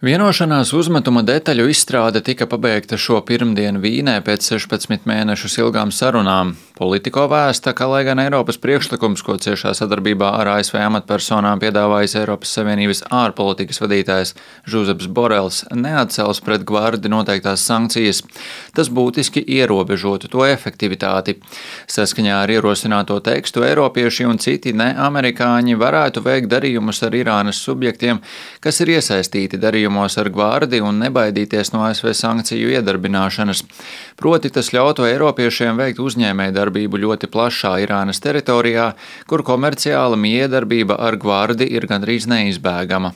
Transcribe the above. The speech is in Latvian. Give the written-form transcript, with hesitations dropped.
Vienošanās uzmetuma detaļu izstrāde tika pabeigta šo pirmdienu Vīnē pēc 16 mēnešus ilgām sarunām. Politiko vēsta, ka, lai gan Eiropas priekšlikums, ko ciešā sadarbībā ar ASV amatpersonām piedāvājis Eiropas Savienības ārpolitikas vadītājs Žuzeps Borels, neatcels pret Gvardi noteiktās sankcijas, tas būtiski ierobežotu to efektivitāti. Saskaņā ar ierosināto tekstu eiropieši un citi neamerikāņi varētu veikt darījumus ar Irānas subjektiem, kas ir iesaistīti darījumos ar Gvardi un nebaidīties no ASV sankciju iedarbināšanas. Proti tas ļautu eiropiešiem veikt uzņēmējdarbību ļoti plašā Irānas teritorijā, kur komerciāla miedarbība ar Gvardi ir gandrīz neizbēgama.